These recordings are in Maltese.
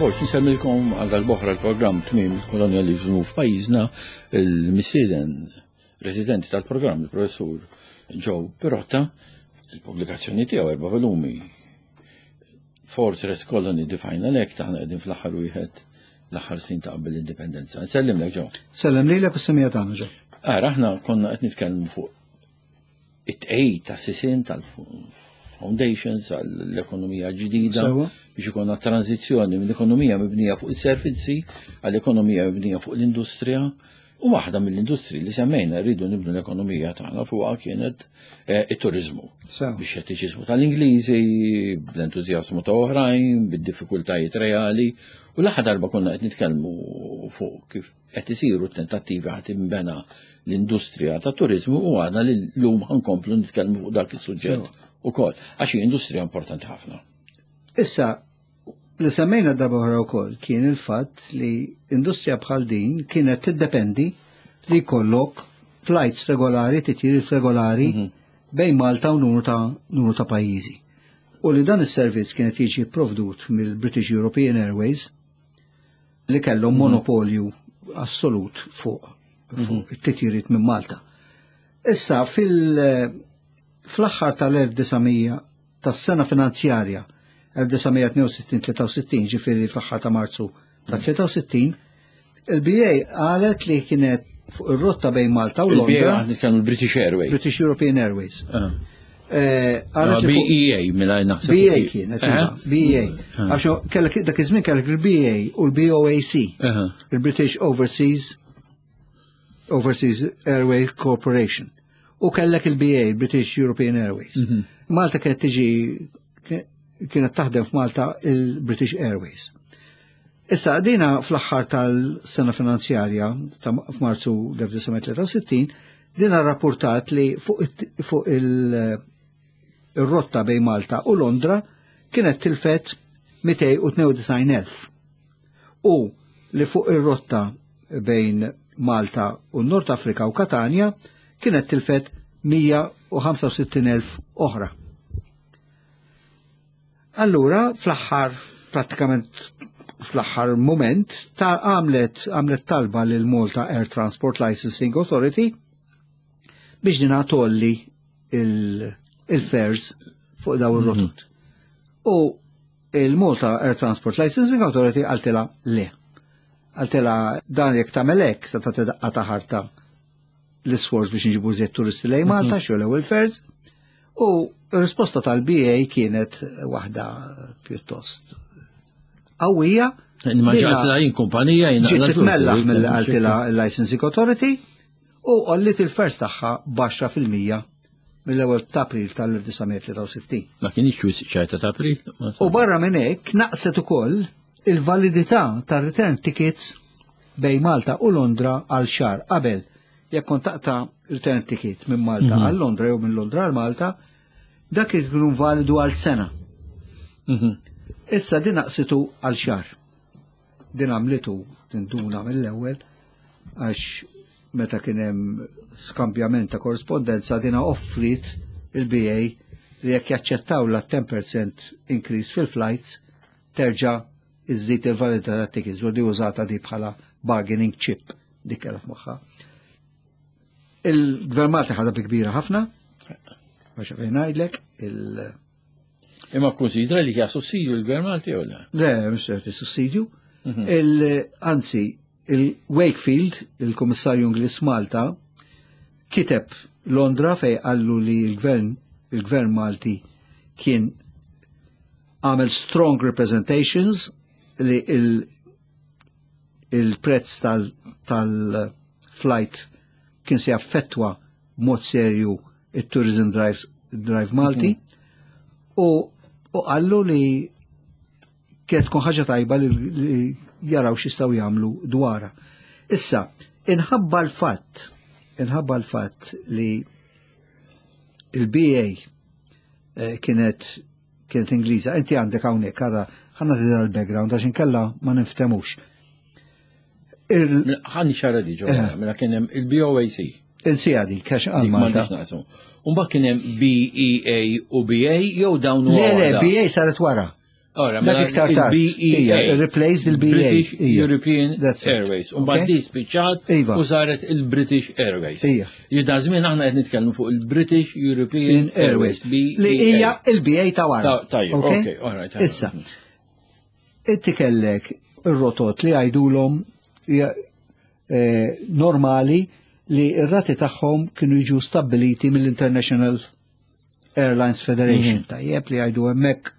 Borg, nsemmilkom għal dal-boħra l-programm tmiem il-kolonjalizmu f'pajjiżna il-mistieden residenti tal-programm, il-professur Joe Pirotta, il-pubblikazzjoni tiegħu erba' volumi Fortress Colony The Final Act, aħna qegħdin fl-aħħar wieħed l-aħħar snin ta' qabel l-indipendenza. Nsellimlek Joe. Sellem lilek u semija tagħna Joe. Ara aħna konna qed nitkellmu fuq it-tqejjid ta' sisien tal-foundations għall-ekonomija ġdida biex ikonna tranzizzjoni minn ekonomija mibnija fuq is-servizzi għall-ekonomija mibnija fuq l-industrija u waħda mill-industri li semmejna rridu nibnu l-ekonomija tagħna fuqha kienet eh, it-turizmu. Bix-xettiċiżmu tal-Ingliżi, bl-entużjażmu ta' oħrajn, bid-diffikultajiet reali u l-aħħar darba konna qed nitkellmu fuq kif qed isiru t-tentattivi ħadd inbena l-industrija ta' turizmu u għadna li llum ħankomplu nitkellmu fuq dak is-suġġett ukoll għax hi industrija importanti ħafna. Issa, li semmejna darba oħra wkoll kien il-fatt li industrija bħal din kienet tiddependi li jkollok flights regolari, titjiriet regolari mhm. bejn Malta u numru ta' numru ta' pajjiżi. U li dan is-servizz kienet jiġi provdut mill-British European Airways li kellhom mhm. monopolju assolut fuq fuq mhm. it-titjiriet minn Malta. Issa fil fl-aħħar tal-1900 tas-sena finanzjarja 1962-63 ġifieri fl-aħħar ta' Marzu ta' 63 il-BA qalet li kienet fuq ir-rotta bejn Malta u Londra. Il-BA l-British Airways. British European Airways. Ah. Eh, ah, BEA mela naħseb. BA kienet, iva, BEA. Ah. Għax kellek dak iż-żmien kellek il-BA u l-BOAC, il-British Overseas Overseas Airway Corporation. U kellek il-BA, British European Airways. Mhm. Malta kienet tiġi kienet taħdem f'Malta il-British Airways. Issa, dina fl-aħħar tal-sena finanzjarja ta' f'Marzu 1963, dina rapportat li fuq il-rotta bejn Malta u Londra kienet tilfet 292,000 u li fuq ir-rotta bejn Malta u Nord Afrika u Katanja kienet tilfet 165,000 oħra. Allura, fl-aħħar, prattikament fl-aħħar moment, ta' għamlet għamlet talba lil Malta Air Transport Licensing Authority biex dina tolli il-fares fuq daw ir-rotot. Mhm. U il-Malta Air Transport Licensing Authority għaltila le. Għaltila dan jekk tagħmel hekk se tagħti daqqa ta' ħarta l-isforz biex nġibu żied turisti lejn Malta, mhm. xogħol ewwel fares. U r-risposta tal-BA kienet waħda pjuttost qawwija. Ma ġatla jien kumpanija jien. Ġiet titmellaħ mill qaltilha l-Licensing Authority u għolliet il-fers tagħha b'10% mill-ewwel ta' April tal-1963. Ma kienx wisq ċerta ta' April. U barra minn hekk naqset ukoll il-validità tar-return tickets bejn Malta u Londra għal xahar qabel jekk kont taqta' return ticket minn Malta mhm. għal Londra jew minn Londra għal Malta, dak ikun validu għal sena. Mhm. Issa din naqsitu għal xahar. Din għamlitu tinduna mill-ewwel għax meta kien hemm skambjament ta' korrespondenza dina offrit il-BA li jekk jaċċettaw la 10% increase fil-flights terġa' iżżid il-validità tat-tickets u di użata di bħala bargaining chip dik kellha f'moħħha. Il-Gvern Malti ħadha bi kbira ħafna, għax fejn ngħidlek, il- Imma konsidra li hija sussidju l-Gvern Malti jew le? Le, mhux se sussidju. Mhm. Anzi, il-Wakefield, il-Kummissarju Ingliż Malta, kiteb Londra fej qallu li l-gvern il-gvern Malti kien għamel strong representations li il-prezz tal-flight kien se jaffettwa mod serju il-Tourism Drive, Drive Malti mm -hmm. u u qallu li kienet tkun ħaġa tajba li, li jaraw x'jistgħu jagħmlu dwarha. Issa, inħabba l-fatt, inħabba l-fatt li il-BA eh, kienet kienet Ingliża, inti għandek hawnhekk ara ħanna l-background għax inkella ma niftemux. Ħanni xara di ġo, eh. mela kien hemm il-BOAC. Il-sija di, kax għal Malta. Umba kien hemm BEA u BA jew dawn Le, le, BA saret wara. Ora, Dak mela iktar tard. il-BEA. Ija, replaced il-BA. British Ija. European That's it. Airways. U mbagħad Okay. di spiċċat Iva. u saret il-British Airways. Ija. Jida żmien aħna qed nitkellmu fuq il-British European Airways. Airways. Li BEA. hija il-BA ta' wara. Tajjeb, okay, all right. Issa, inti kellek ir-rotot li għajdulhom normali li r-rati tagħhom kienu jiġu stabiliti mill-International Airlines Federation, tajjeb li għajdu hemmhekk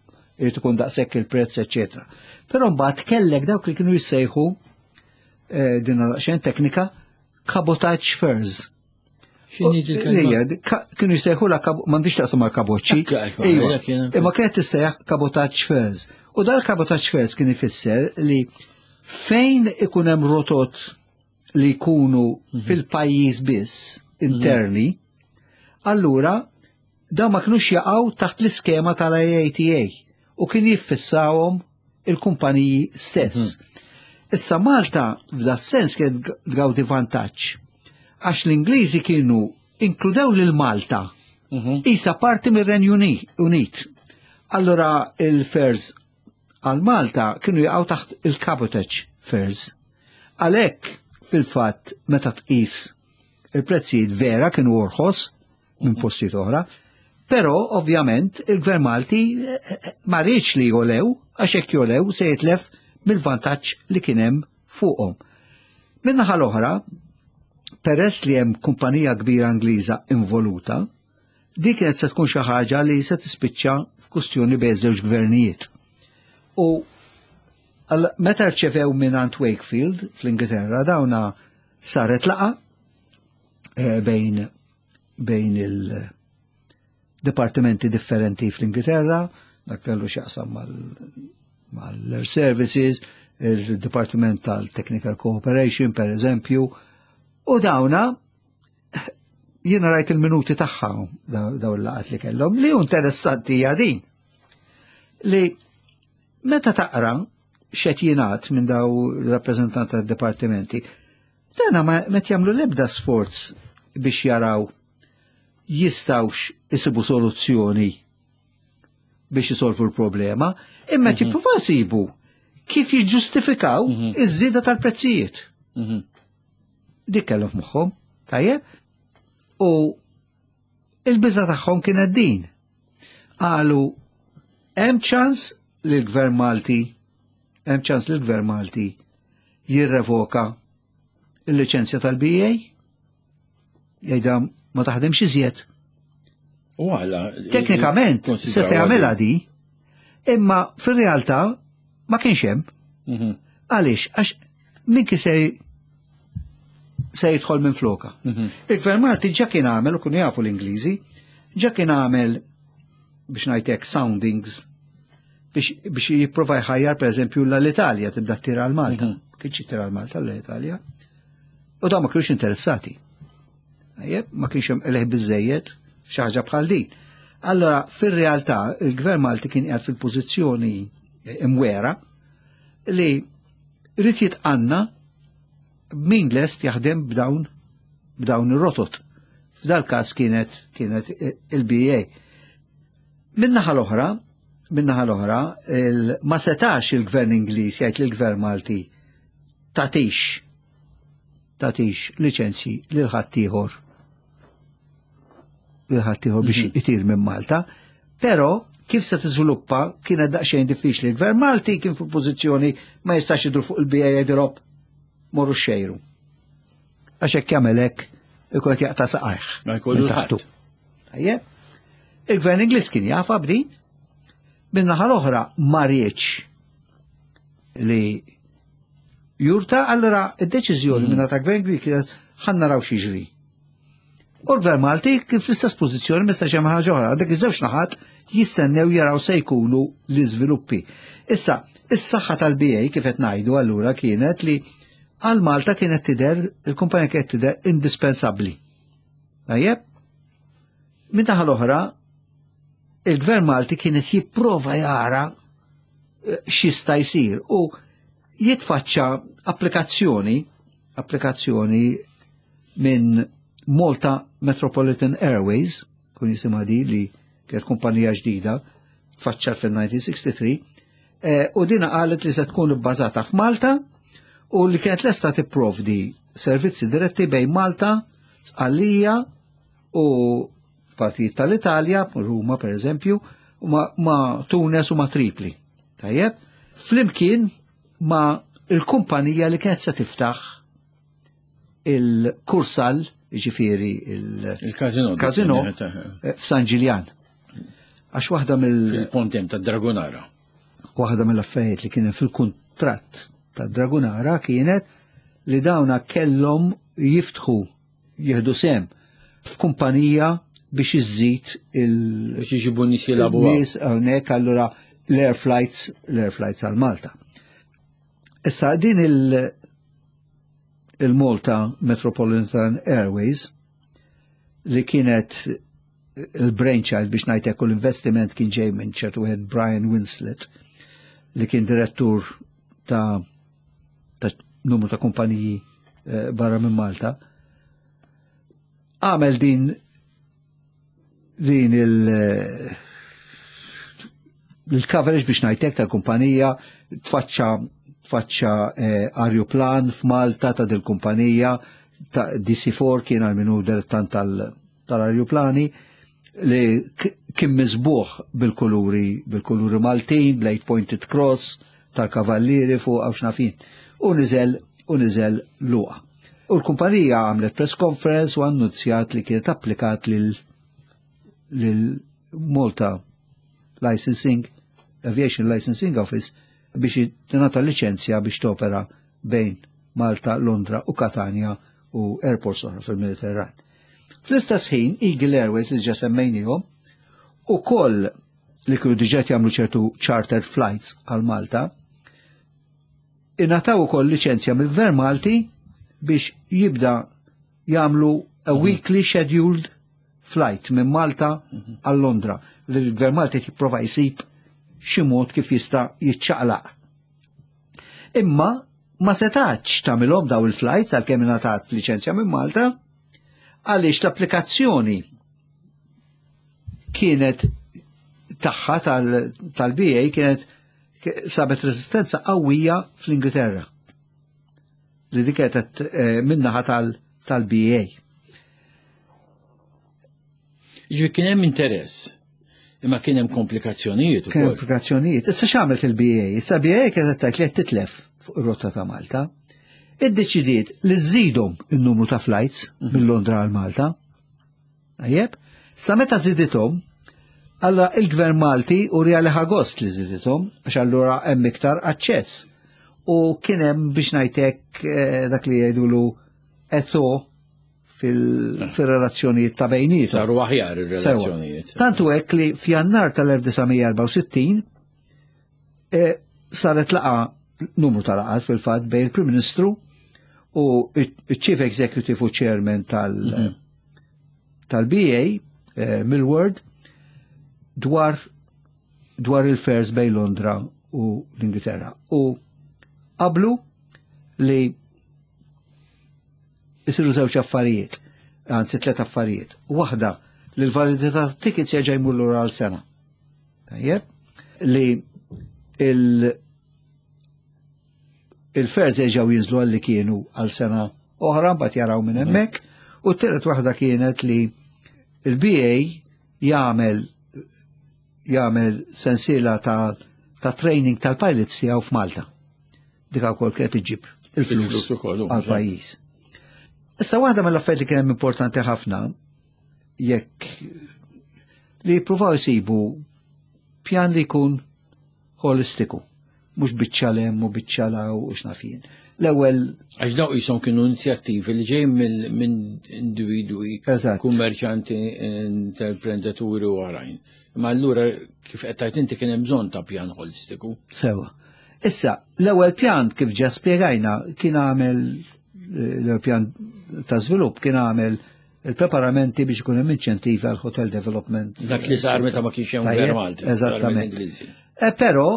irid ikun daqshekk il-prezz, eċetera. Però mbagħad kellek dawk li kienu jissejħu din daqsxejn teknika cabotage fares. X'inhi il-kelma? Lija, kienu jissejħu la m'għandix taqsam mal kaboċċi. Ekk, ekk, Iva. jekk jiena- Imma kienet tissejjaħ cabotage fares. U dal-cabotage fares kien ifisser li fejn ikun hemm rotot li jkunu fil-pajjiż biss interni, allura dawn ma kinux jaqgħu taħt l-iskema tal-IATA u kien jiffissawhom il-kumpaniji stess. Issa Malta f'da sens kienet tgawdi vantaġġ għax l-Ingliżi kienu inkludew lil Malta isa parti mir-Renju Unit. Allora il-fares għal Malta kienu jaqgħu taħt il-cabotage fares. Għalhekk fil-fatt meta tqis il-prezzijiet vera kienu orħos minn postijiet oħra, però ovvjament il-Gvern Malti ma riedx li jolew, għax hekk jolew se jitlef mill-vantaġġ li kien hemm fuqhom. Min-naħa l-oħra, peress li hemm kumpanija kbira Ingliża involuta, di kienet se tkun xi ħaġa li se tispiċċa f'kustjoni bejn żewġ gvernijiet. U meta rċevew mingħand Wakefield fl-Ingilterra dawna saret laqa bejn il-departimenti differenti fl-Ingilterra, dak kellu x'jaqsam mal-Air Services, il-Departiment tal-Technical Cooperation, per eżempju, u dawna jiena rajt il-minuti tagħha daw il-laqat li kellhom, li interessanti hija din. Li meta taqra x'qed jingħad minn daw il-rappreżentant tad-dipartimenti, dana ma met jagħmlu l-ebda sforz biex jaraw jistawx isibu soluzzjoni biex jisolvu l-problema, imma jippruvaw isibu kif jiġġustifikaw iż-żieda tal-prezzijiet. Dik kellhom f'moħħhom, tajjeb? U il-biża tagħhom kienet din. Qalu hemm ċans li l-Gvern Malti, hemm ċans li l-Gvern Malti jirrevoka il-liċenzja tal-BA? Jgħidha ma taħdimx iżjed. U għala, Teknikament, se tagħmilha di, imma fir-realtà ma kienx hemm. Għaliex, għax min kien se jidħol minn floka. Il-Gvern Malti ġa kien għamel, u kienu jafu l-Ingliżi, ġa kien għamel biex ngħidlek soundings biex jipprova jħajjar per eżempju l-Italja tibda tira għal Malta. Kienx tira għal Malta l-Italja. U dawn ma kienux interessati. Ejjeb, ma kienx hemm qligħ biżejjed xi ħaġa bħal din. Allora, fir-realtà, il-Gvern Malti kien qiegħed fil-pożizzjoni imwera li rrid jitqanna min lest jaħdem b'dawn ir-rotot. F'dal każ kienet il-BA. Min-naħa l-oħra, min-naħa l-oħra, ma setax il-Gvern Ingliż jgħid lill-Gvern Malti tatix liċenzji lil ħaddieħor lil ħaddieħor biex itir minn Malta, però kif se tiżviluppa kienet daqsxejn diffiċli. Il-Gvern Malti kien fil-pożizzjoni ma jistax idur fuq il-BA jgħidilhom morru xejru. Għax hekk jagħmel hekk ikun qed jaqta' saqajh. Ma jkollu minn taħtu. ħadd. Tajjeb. Il-Gvern Ingliż kien jafa b'din. Min-naħa l-oħra ma riedx li jurta, allora id-deċiżjoni minn ta' Gvern Ingliż kienet ħa naraw x'jiġri. U l-Gvern Malti kien fl-istess pożizzjoni ma jistax jagħmel ħaġa oħra, għandek iż-żewġ naħat jistennew jaraw se jkunu l-iżviluppi. Issa, is-saħħa tal-BA kif qed ngħidu allura kienet li għal Malta kienet tidher, il-kumpanija kienet tidher indispensabbli. Tajjeb? Min naħa l-oħra, il-Gvern Malti kienet jipprova jara x'jista' jsir u jitfaċċa applikazzjoni minn Malta Metropolitan Airways, kun jisimha di li kienet kumpanija ġdida, tfaċċa fil-1963, U dina qalet li se tkun bbażata f'Malta u li kienet lesta tipprovdi servizzi diretti bejn Malta, Sqallija u partijiet tal-Italja, Ruma per eżempju, ma, ma Tunes u ma Tripli. Tajjeb, flimkien ma il-kumpanija li kienet se tiftaħ il-Kursal, ġifieri il-Casino il-Casino f'San Ġiljan. Għax waħda mill- Il-pontem ta' Dragonara. Waħda mill-affarijiet li kien fil-kuntratt ta' Dragonara kienet li dawna kellhom jiftħu jieħdu sem f'kumpanija biex iżżid il- Biex iġibu nies jilagħbu. Nies hawnhekk allura l-air flights, l-air flights għal Malta. Issa din il-Malta Metropolitan Airways li kienet il-brainchild biex ngħidlek u l-investiment kien ġej minn ċertu wieħed Brian Winslet li kien direttur ta' numru ta' kumpaniji barra minn Malta. Għamel din il-coverage biex ngħidlek tal-kumpanija, tfaċċa aeroplan f'Malta ta' dil-kumpanija ta' DC-4 kien għal minu dilettant tal-aeroplani li kien miżbuħ bil-kuluri Maltin, bl-eight pointed cross tal-kavallieri fuq għaw xnafin. U niżel Luqa. U l-kumpanija għamlet press conference u annunzjat li kienet applikat lil Malta Licensing, Aviation Licensing Office biex tingħata liċenzja biex topera bejn Malta, Londra u Catania u airports oħra fil-Mediterran. Fl-istess ħin, Eagle Airways li ġa semmejnihom u koll li kienu diġà jagħmlu ċertu charter flights għal Malta, ingħataw ukoll liċenzja mill-Gvern Malti biex jibda jagħmlu a weekly scheduled flight minn Malta għal Londra. Li l-Gvern Malti jipprova jsib xi mod kif jista' jiċċaqlaq. Imma ma setax tagħmilhom daw il-flights għalkemm ingħatat liċenzja minn Malta għaliex l-applikazzjoni kienet tagħha tal-BA kienet sabet resistenza qawwija fl-Ingilterra. Li dik kienet min-naħa tal-BA. Ġifieri kien hemm interess, imma kien hemm komplikazzjonijiet Kien ukoll. komplikazzjonijiet. Issa x'għamlet il-BA? Issa BA kienet tgħid li qed titlef fuq ir-rotta ta' Malta. Iddeċidiet li żżidhom in-numru ta' flights minn Londra għal Malta. Tajjeb? Sa meta żidithom, alla il-Gvern Malti u li ħa gost li żidithom, għax allura hemm iktar aċċess. U kien hemm biex ngħidlek dak li jgħidulu eto fil-relazzjonijiet ta' bejnietom. Saru aħjar ir-relazzjonijiet. Tantu hekk li f'Jannar tal-1964 saret laqgħa, numru ta' laqgħat fil-fatt bejn il-Prim Ministru u il-Chief Executive u Chairman tal-BA Millward dwar il-fares bejn Londra u l-Ingilterra. U qablu li isiru żewġ affarijiet, anzi tliet affarijiet. Waħda li l-validità tickets jerġa' jmur lura għal sena. Tajjeb, li il-fares jerġgħu jinżlu għal li kienu għal sena oħra, mbagħad jaraw minn hemmhekk. U t-tielet waħda kienet li il-BA jagħmel sensiela ta' training tal-pilots tiegħu f'Malta. Dik ukoll kienet iġib il-flus Il-flus ukoll, u, għal-pajjiż. Issa waħda mill-affarijiet li kien hemm importanti ħafna jekk li jippruvaw jsibu pjan li jkun holistiku, mhux biċċa 'l hemm u biċċa 'l hawn u x'naf jien. L-ewwel Għax daw jisom kienu inizjattivi li ġej minn individwi, kummerċanti, intraprenditori u oħrajn. Ma allura kif qed tgħid inti kien hemm bżonn ta' pjan holistiku. Sewa. Issa, l-ewwel pjan kif ġa spjegajna kien għamel l-ewwel pjan ta' żvilupp kien għamel il-preparamenti biex ikun hemm inċentivi għal hotel development. Dak li sar meta ma kienx hemm Tajjeb, gvern Malti. sar Eżattament. mill-Ingliżi. Però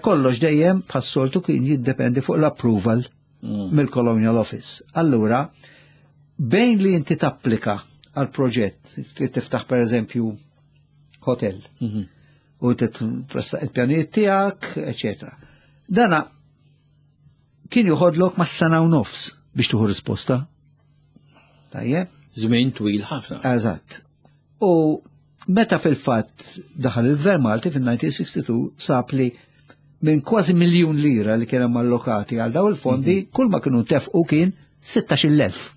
kollox dejjem bħas-soltu kien jiddependi fuq l-approval mill-Colonial Office. Allura, bejn li inti tapplika għal proġett, li tiftaħ per eżempju hotel, U tressaq il-pjanijiet tiegħek, eċetera. Dana kien joħodlok ma' sena u nofs biex tuħu risposta. Tajjeb? Żmien twil ħafna. Eżatt. U meta fil-fatt daħal il-Gvern Malti fil-1962 sab li minn kważi miljun lira li kien hemm allokati għal daw il-fondi, mhm. kull ma kienu tefqu kien 16,000.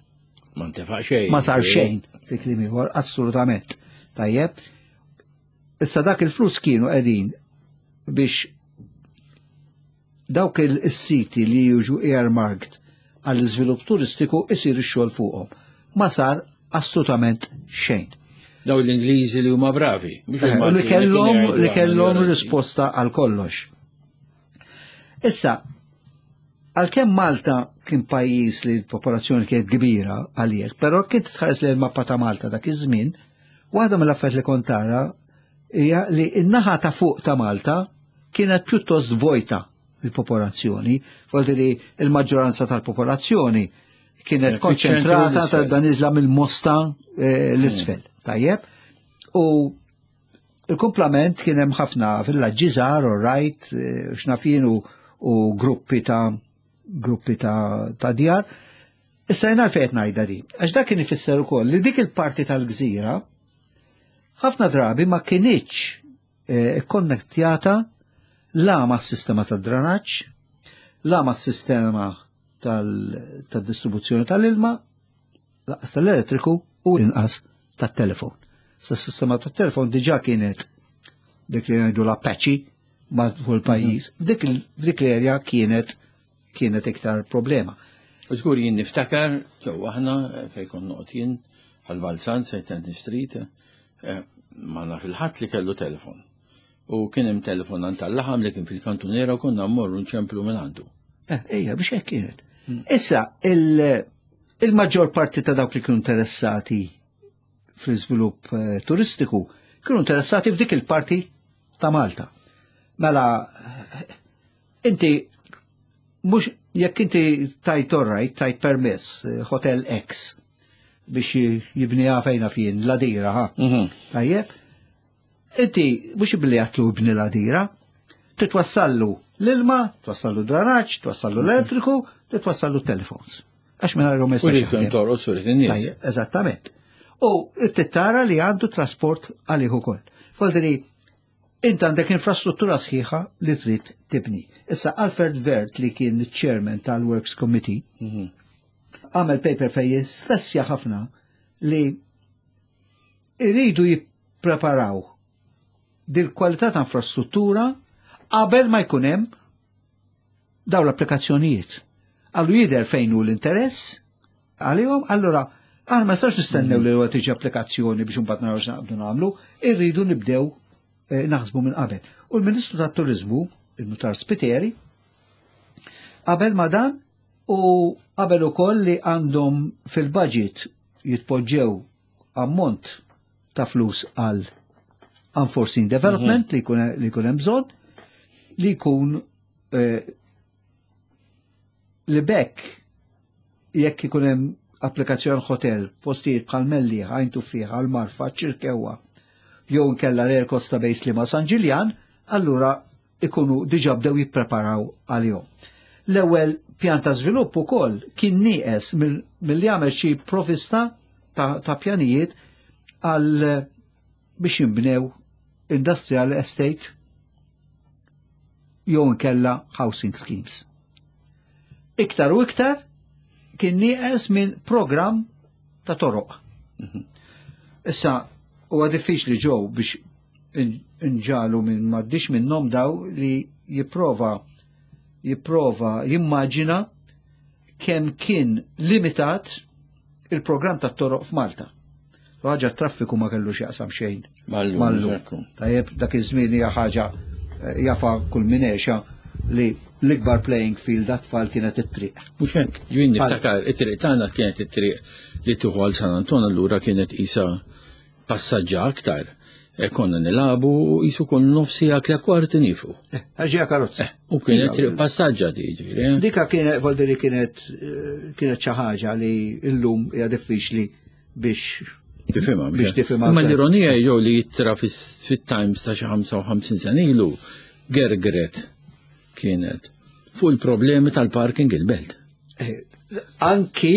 Ma ntefaq xejn. Ma sar xejn, fi kliem ieħor, assolutament. Tajjeb. Issa dak il-flus kienu qegħdin biex dawk il-siti li jiġu earmarked għall-iżvilupp turistiku isir ix-xogħol fuqhom. Ma sar assolutament xejn. Daw l-Ingliżi li huma bravi. Eh, li kellhom li kellhom risposta għal kollox. Issa, għalkemm Malta kien pajjiż li l-popolazzjoni kienet kbira għalih, però kien tħares li l-mappa ta' Malta dak iż-żmien, waħda mill-affarijiet li kont tara hija li n-naħa ta' fuq ta' Malta kienet pjuttost vojta il-popolazzjoni, vuol li il-maġġoranza tal-popolazzjoni kienet konċentrata ta' dan iżla mill-Mosta eh, l-isfel. Hmm. Tajjeb? U il-kumplament kien hemm ħafna villaġġi żgħar u rajt eh, x'nafin u gruppi ta' gruppi ta', ta djar. Issa jena fejt ngħidha di, għax dak kien ifisser ukoll li dik il-parti tal-gżira ħafna drabi ma kinitx eh, konnettjata la ma' sistema tad dranaġġ, la ma' sistema tal-distribuzzjoni tal-ilma, laqas tal-elettriku u inqas tat-telefon. Sa sistema tat-telefon diġà kienet dik li ngħidu l-Apache matul pajjiż. Mhm. F'dik l-erja kienet kienet iktar problema. U żgur jien niftakar ġew aħna eh, fejn kont noqgħod jien għal-Balzan St. Anthony Street eh, ma naf il-ħadd li kellu telefon. U kien hemm telefon għand tal-laħam li kien fil-kantunera u konna mmorru nċemplu minn għandu. Eh, ejja, biex hekk kienet. Hmm. Issa, il-maġġor parti ta' dawk li kienu interessati fl-iżvilupp eh, turistiku kienu interessati f'dik il-parti ta' Malta. Mela, inti mhux jekk inti tajt orrajt, tajt permess, eh, Hotel X, biex jibniha fejna fien, l-adira, ha? Mhm. Tajjeb? Inti mhux billi għatlu ibni l-għadira, titwassallu l-ilma, twassallu dranaġġ, twassallu l-elettriku, titwassallu telefons. Għax minn għajru messa. Eżattament. U tittara li għandu trasport għalih ukoll. Foldri, int għandek infrastruttura sħiħa li trid tibni. Issa Alfred Vert li kien chairman tal-Works Committee, mhm. għamel paper fej stressja ħafna li iridu jippreparaw dil-kwalità ta' infrastruttura qabel ma jkun hemm daw l-applikazzjonijiet. Għallu jidher fejn hu l-interess għalihom, allura aħna ma nistax nistennew li huwa tiġi applikazzjoni biex imbagħad naraw x'naqbdu nagħmlu, irridu nibdew eh, naħsbu minn qabel. U l-Ministru tat-Turiżmu, il-Nutar Spiteri, qabel ma dan u qabel ukoll li għandhom fil-budget jitpoġġew ammont ta' flus għal unforeseen development mhm. li jkun hemm bżonn li jkun eh, li bekk jekk ikun hemm applikazzjoni hotel postijiet bħal Melli, Għajn Tuffieħa, għal Marfa, Ċirkewwa, jew nkella l Costa Base li ma' San Ġiljan, allura ikunu diġà bdew jippreparaw għalihom. L-ewwel pjan ta' żvilupp ukoll kien nieqes milli għamel xi provista ta', ta pjanijiet għal biex jinbnew industrial estate jew inkella housing schemes. Iktar u iktar kien nieqes minn programm ta' toroq. Mhm. Issa huwa diffiċli ġew biex inġalu minn m'għaddix minnhom daw li jipprova jipprova jimmaġina kemm kien limitat il-programm tat toroq f'Malta. Ħaġa traffiku ma kellu x'jaqsam xejn. Mallu. Tajjeb, dak iż-żmien hija ħaġa eh, jafa kull min għexa li l-ikbar playing field għat-tfal kienet it-triq. Mhux hekk, jien niftakar it-triq tagħna kienet it-triq li tieħu għal San Anton allura kienet isa passaġġa aktar. E konna nilabu jisu kun nofsi għak li kwarti nifu. Eh, Għaxija karozza. Eh, u kienet triq passaġġa di ġifieri. Eh. Dika kienet volderi kienet kienet xi ħaġa li llum hija diffiċli biex. Tifhimha. Biex tifhimha. Imma l-ironija jew li jittra fit-Times ta' xi 55 sena ilu gergret kienet fuq il-problemi tal-parking il-belt. Eh, anki,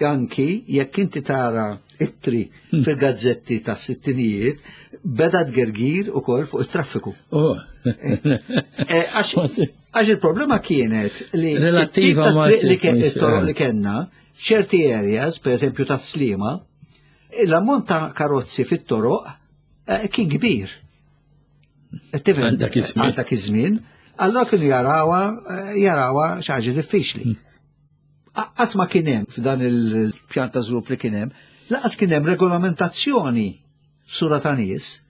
anki, jekk inti tara ittri fil-gazzetti ta' sittinijiet, beda tgergir u kol fuq il-traffiku. Oh. Eh, għax il-problema kienet li Relattiva ma' li toroq li kellna f'ċerti areas, per eżempju ta' Slima, l-ammont ta' karozzi fit-toroq eh, kien kbir. Għal dak iż-żmien. Allora kienu jarawa eh, jarawa xi ħaġa diffiċli. Qas ma kien hemm f'dan il-pjan ta' żvilupp li kien hemm, laqas kien hemm regolamentazzjoni sura ta' nies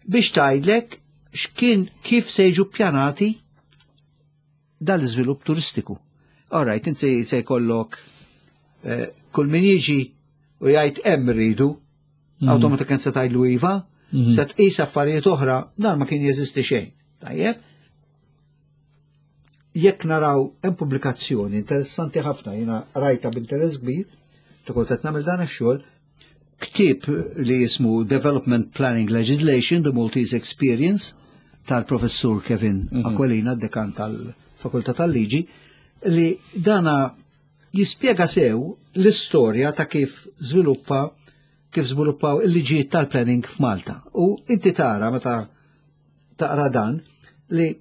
biex tgħidlek x'kien kif se jiġu ppjanati dal-iżvilupp turistiku. All right, inti se jkollok eh, kull min jiġi u jgħid hemm rridu, automatikament se tgħidlu iva, se tqis affarijiet oħra, dan ma kien jeżisti xejn. Tajjeb? Jekk naraw hemm pubblikazzjoni interessanti ħafna jiena rajta b'interess kbir, ta' kont qed nagħmel dan ix-xogħol, ktieb li jismu Development Planning Legislation, The Maltese Experience, tal-professur Kevin Aquilina, dekan tal-Fakultà tal-Liġi, li dana jispjega sew l-istorja ta' kif żviluppa kif żviluppaw il-liġijiet tal-planning f'Malta. U inti tara meta taqra dan li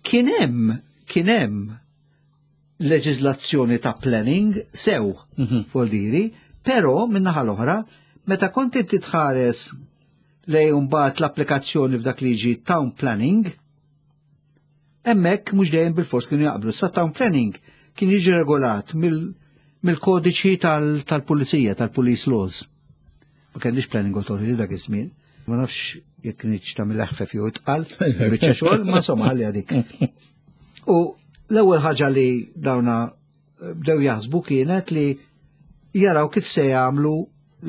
kien hemm kien hemm leġiżlazzjoni ta' planning sew voldiri, però min-naħa l-oħra, meta kont inti tħares lej mbagħad l-applikazzjoni f'dak li jiġi town planning, hemmhekk mhux dejjem bil-fors kienu jaqblu. Sa town planning kien jiġi regolat mill-kodiċi tal-pulizija, tal-police laws. Ma kellix planning authority dak iż-żmien. Ma nafx jekk kienx tagħmel eħfef jew itqal, biċċa xogħol, ma insomma ħalli dik. U l-ewwel ħaġa li dawna bdew jaħsbu kienet li jaraw kif se jagħmlu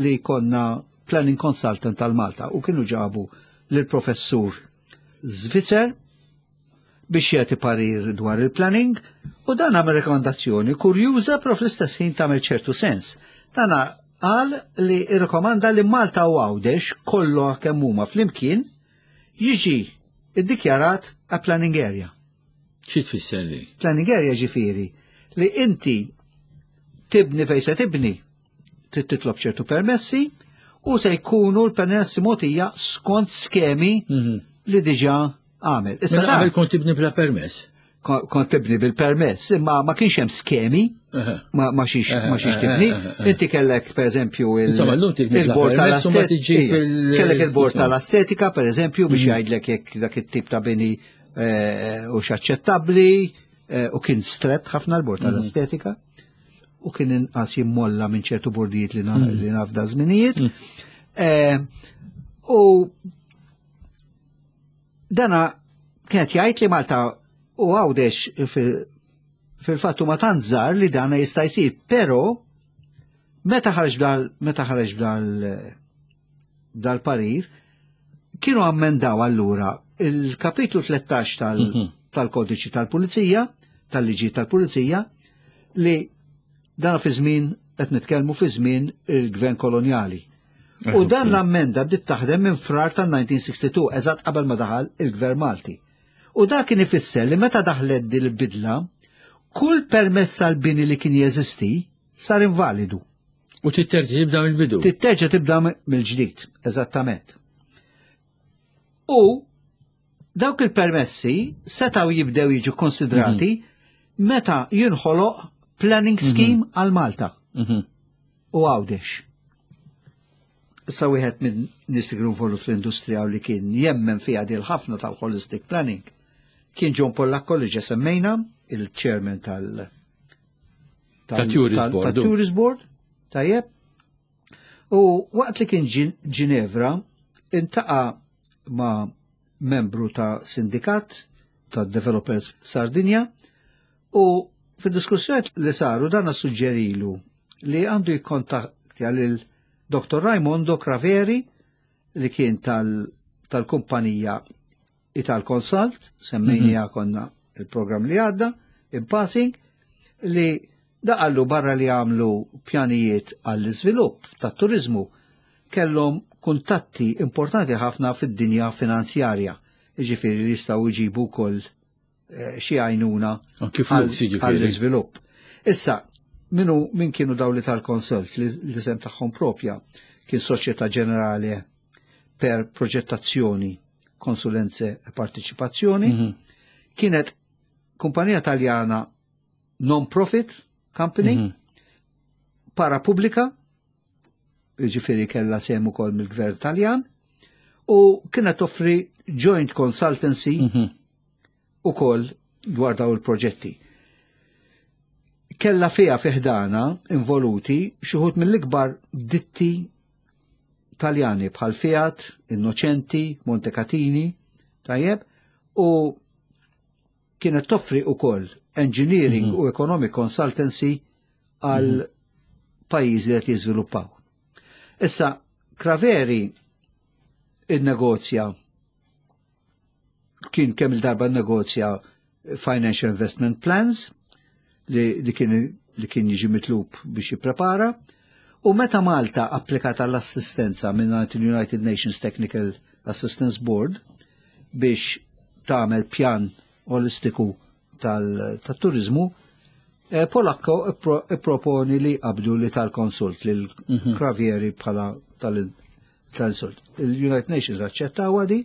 li konna planning consultant tal-Malta u kienu ġabu lill-professur Zvitzer biex jagħti parir dwar il-planning u dan għamel rekomandazzjoni kurjuża però fl-istess ħin tagħmel ċertu sens. Dan qal li rrekomanda li Malta u Għawdex kollu kemm huma flimkien jiġi iddikjarat a planning area. Xi tfisser li? Planning area ġifieri li inti tibni fejn se tibni, trid titlob ċertu permessi u se jkunu l-permessi mogħtija skont skemi li diġà għamel. Issa qabel kont tibni bla permess. Kont tibni bil-permess, imma ma kienx hemm skemi, ma xiex ma xiex tibni. Inti kellek pereżempju il-bord tal-estetika. Kellek il-bord tal-estetika pereżempju biex jgħidlek jekk dak it-tip ta' bini u x'aċċettabbli u kien strett ħafna l-bord tal-estetika u kien inqas jimmolla minn ċertu bordijiet li naf da żminijiet. U dana kienet jgħid li Malta u Għawdex fil-fattu ma tant żgħar li dana jista' jsir, però meta ħareġ dal meta ħareġ dal dal-parir kienu ammendaw allura il-kapitlu 13 tal-kodiċi tal-pulizija, tal-liġi tal-pulizija, li dan fi żmien qed nitkellmu fi żmien il-gvern kolonjali. U dan l-ammenda bdiet taħdem minn frar tal-1962, eżatt qabel ma daħal il-gvern Malti. U dak kien ifisser li meta daħlet din il-bidla, kull permess għal bini li kien jeżisti sar invalidu. U titterġa' tibda mill-bidu. Titterġa' tibda mill-ġdid, eżattament. U dawk il-permessi setgħu jibdew jiġu konsidrati meta jinħoloq planning scheme għal Malta u Għawdex. Issa wieħed minn nies li kienu involut fl-industrija u li kien jemmen fiha dil ħafna tal-holistic planning kien John Pollacco li ġa semmejna, il-chairman Tourist Board. tal-Tourist Board, tajjeb. U waqt li kien Ginevra, intaqa' ma' membru ta' sindikat ta' Developers Sardinja u fid-diskussjoni li saru dan suġġerilu li għandu jikkontattja lil Dr. Raimondo Craveri li kien tal-kumpanija Ital Consult, semmejnija konna il-program li għadda, in passing, li daqallu barra li għamlu pjanijiet għall-iżvilupp tat-turizmu. kellhom kuntatti importanti ħafna fid-dinja finanzjarja, jiġifieri li jistgħu jġibu wkoll eh, xi għajnuna għall-iżvilupp. Issa, minu min kienu daw li tal-konsult li l-isem tagħhom propja kien Soċjetà Ġenerali per Proġettazzjoni, Konsulenze e Partiċipazzjoni, mhm. kienet kumpanija Taljana non-profit company, mm -hmm. parapubblika, jiġifieri kellha sehem ukoll mill-gvern Taljan, u kienet toffri joint consultancy mm -hmm. ukoll dwar daw il-proġetti. Kella fiha fiħdana involuti xi wħud mill-ikbar ditti Taljani bħal Fiat, Innocenti, Montecatini, tajjeb, u kienet toffri ukoll engineering mm -hmm. u economic consultancy għal mm -hmm. pajjiżi li qed jiżviluppaw. Issa, Craveri innegozja kien kemm il-darba negozja Financial Investment Plans li, li kien li kien jiġi mitlub biex jipprepara u meta Malta applikat għall-assistenza minn il-United Nations Technical Assistance Board biex tagħmel pjan olistiku tal-turizmu, eh, Polakko ipproponi li qabdu li tal-konsult lil mhm. Kravieri bħala tal-insult. Il-United Nations aċċettaw di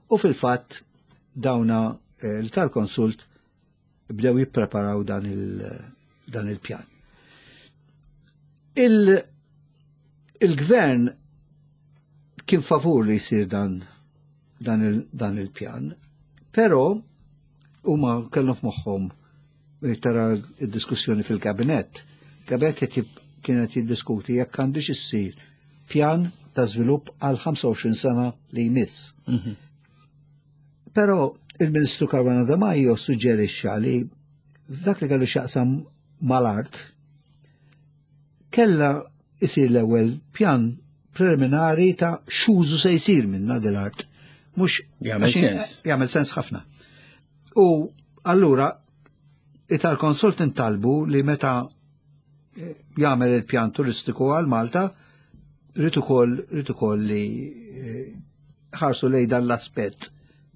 u fil-fatt dawna eh, li tal-konsult bdew jippreparaw dan il-pjan. Il-gvern kien favur li jsir dan dan il-pjan, però huma kellhom f'moħħhom tara d-diskussjoni fil-kabinett. Kabinett kienet jiddiskuti jekk għandux issir pjan ta' żvilupp għal 25 sena li jmiss. Mhm. Però il-Ministru Caruana De Maio suġġerixxa li f'dak li kellu x'jaqsam mal-art kella isir l-ewwel pjan preliminari ta' x'użu se jsir minna dil-art. Mhux jagħmel sens. Jagħmel sens ħafna. U allura it-tal-konsult intalbu li meta eh, jagħmel il-pjan turistiku għal Malta, rrid ukoll rrid ukoll li eh, ħarsu lej dan l-aspett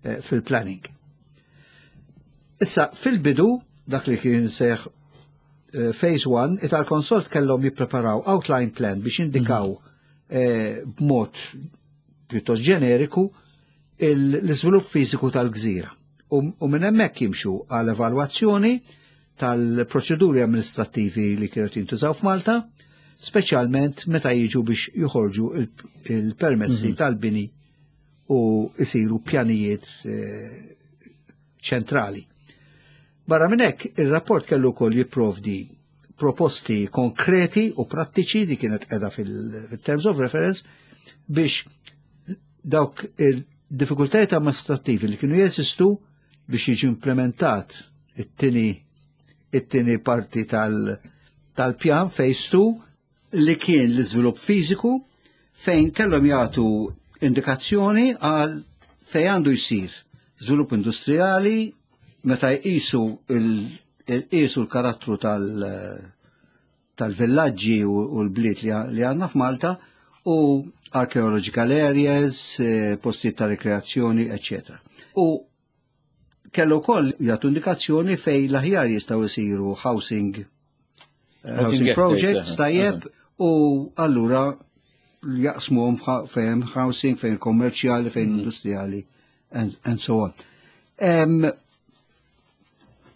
eh, fil-planning. Issa, fil-bidu, dak li kien seħ eh, Phase 1, it-tal-konsult kellhom jippreparaw outline plan biex indikaw mhm. eh, b'mod pjuttost ġeneriku l-iżvilupp fiżiku tal-gżira. U minn hemmhekk jimxu għal evalwazzjoni tal-proċeduri amministrattivi li kienu jintużaw f'Malta, speċjalment meta jiġu biex joħorġu il-permessi mhm. tal-bini u jisiru pjanijiet eh, ċentrali. Barra minn hekk, ir-rapport kellu wkoll jipprovdi proposti konkreti u prattiċi li kienet qiegħda fil-terms of reference biex dawk il-diffikultajiet amministrattivi li kienu jeżistu biex jiġi implementat it-tieni it-tieni parti tal-pjan phase 2 li kien l-iżvilupp fiżiku fejn kellhom jagħtu indikazzjoni għal fejn għandu jsir żvilupp industrijali meta jqisu il-qisu l-karattru tal-villaġġi u l-bliet li għandna f'Malta u archaeological areas, eh, postijiet ta' rekreazzjoni, eccetera. U kellu wkoll jagħtu indikazzjoni fej l-aħjar jistgħu jsiru housing eh, housing projects tajjeb u allura jaqsmuhom fejn housing, fejn kommerċjali, fejn mm. industrijali and, and so on. Um,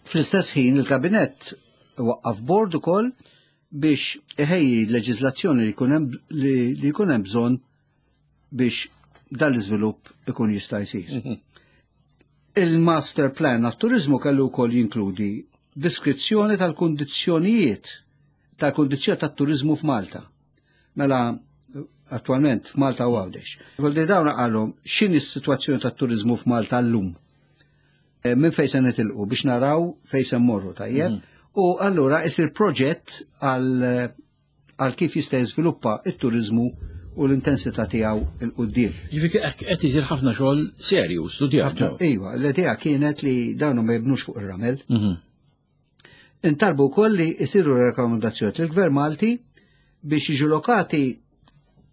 Fl-istess ħin il-kabinett waqqaf bord ukoll biex iħejji leġiżlazzjoni li jkun hemm bżonn biex dan l-iżvilupp ikun jista' jsir. Mhm. Il-master plan għat-turizmu kellu wkoll jinkludi deskrizzjoni tal-kundizzjonijiet tal-kundizzjoni tat-turizmu f'Malta. Mela attualment f'Malta u Għawdex. Voldi dawn qalhom x'inhi s-sitwazzjoni tat-turizmu f'Malta llum. Eh, minn fejn se nitilqu biex naraw fejn se mmorru tajjeb. Mhm. U allura isir proġett għal għal kif jista' jiżviluppa it-turiżmu u l-intensità tiegħu il quddiem. Ġifieri qed isir ħafna xogħol serju studjat. Iva, l-idea kienet li dawn ma jibnux fuq ir-ramel. Mhm. Intalbu wkoll li jsiru rekomendazzjoni lill-Gvern Malti biex jiġu lokati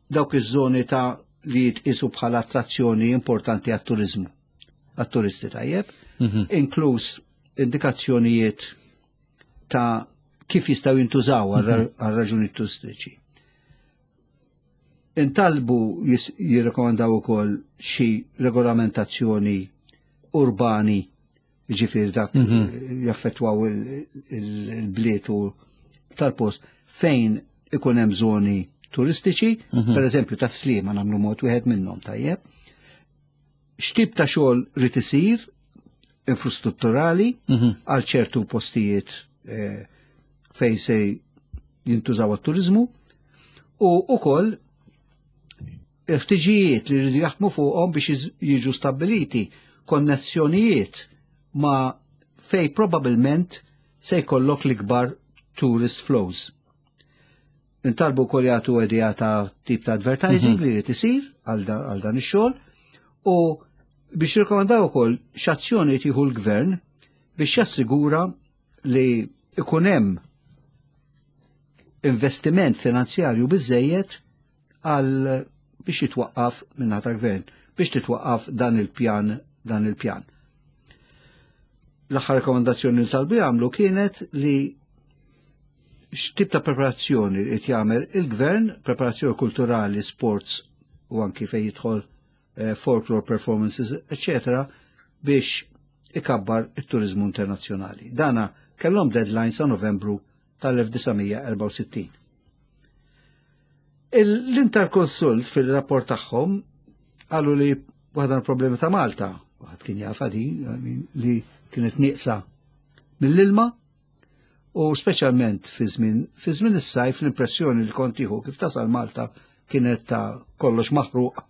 dawk iż-żoni ta' li jitqisu bħala attrazzjoni importanti għat-turizmu, għat-turisti tajjeb, inkluż indikazzjonijiet ta' kif jistgħu jintużaw għal raġuni turistiċi. Intalbu jirrekomandaw ukoll xi regolamentazzjoni urbani, ġifieri dak jaffettwaw il-bliet u tal-post fejn ikun hemm żoni turistiċi, per eżempju ta' Sliema nagħmlu mod wieħed minnhom tajjeb. X'tip ta' xogħol rid isir infrastrutturali għal ċertu postijiet fejn se jintużaw għat-turizmu u ukoll il-ħtiġijiet li rridu jaħdmu fuqhom biex jiġu stabbiliti konnessjonijiet ma' fej probabilment se jkollok l-ikbar tourist flows. Intalbu wkoll jagħtu idea ta' tip ta' advertising li jrid isir għal dan ix-xogħol u biex jirkomandaw ukoll x'azzjoni tieħu l-gvern biex jassigura li ikun hemm investiment finanzjarju biżejjed għal biex jitwaqqaf minn tal-gvern biex titwaqqaf dan il-pjan dan il-pjan. L-aħħar rekomendazzjoni li talbu jagħmlu kienet li x'tip ta' preparazzjoni qed jagħmel il-gvern, preparazzjoni kulturali, sports u anki fejn jidħol folklore performances, eccetera, biex ikabbar it-turizmu internazzjonali. Dana kellhom deadline sa' Novembru tal-1964. L-Interconsult fil-rapport tagħhom qalu li waħda mill-problemi ta' Malta, waħed kien jafa di, I mean, li kienet nieqsa mill-ilma u speċjalment fi żmien is-sajf l-impressjoni li kont tieħu kif tasal Malta kienet ta' kollox maħruq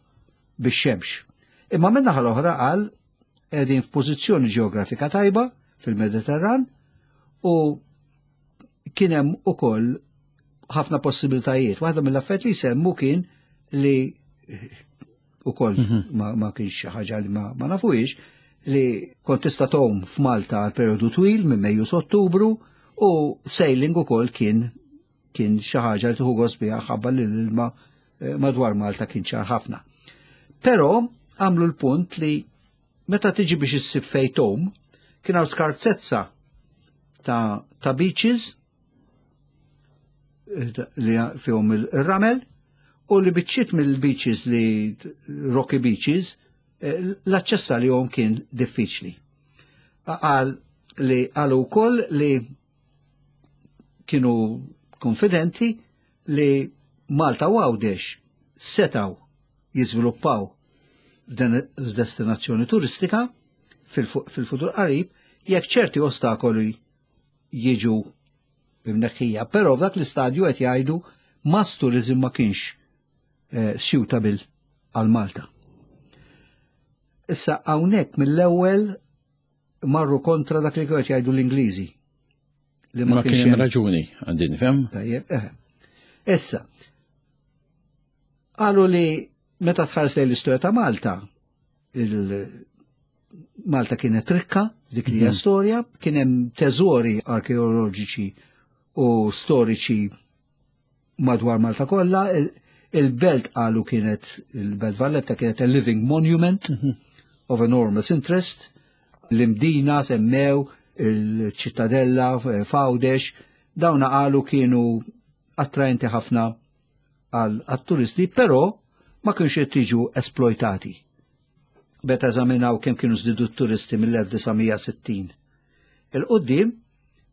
bix-xemx. Imma min-naħa l-oħra qal qegħdin f'pożizzjoni ġeografika tajba fil-Mediterran u kien hemm ukoll ħafna possibilitajiet. Waħda mill-affarijiet li semmu kien li ukoll ma kienx xi ħaġa li ma nafuhiex li kont tista' tgħum f'Malta għal perjodu twil minn Mejju Ottubru u sailing ukoll kien xi ħaġa li tieħu gost biha ħabba li l-ilma madwar Malta kien ċar ħafna. Però għamlu l-punt li meta tiġi biex issib fejn tgħum, kien hawn skarsezza ta' beaches li fihom il-ramel u li biċċiet mill-beaches li rocky beaches l-aċċess għalihom kien diffiċli. Qal li qalu wkoll li kienu konfidenti li Malta u Għawdex setaw jiżviluppaw f'destinazzjoni turistika fil-futur qarib jekk ċerti ostakoli jiġu imneħħija. Però f'dak l-istadju qed jgħidu mass tourism ma kienx suitable għal Malta. Issa hawnhekk mill-ewwel marru kontra dak li qed jgħidu l-Ingliżi. Li ma kien hemm raġuni għandi nifhem. Tajjeb, eh. Issa, qalu li meta tħares lejn l-istorja ta' Malta, Malta kienet rikka dik li hija storja, kien hemm teżori arkeoloġiċi u storiċi madwar Malta kollha, il-belt qalu kienet il-Belt Valletta kienet a living monument of enormous interest, l-Imdina semmew, il-ċittadella f'Għawdex, dawna qalu kienu attraenti ħafna għal-turisti, però ma kienx qed jiġu esploitati. Beta eżaminaw kemm kienu żdiedu t-turisti mill-1960. Il-qoddim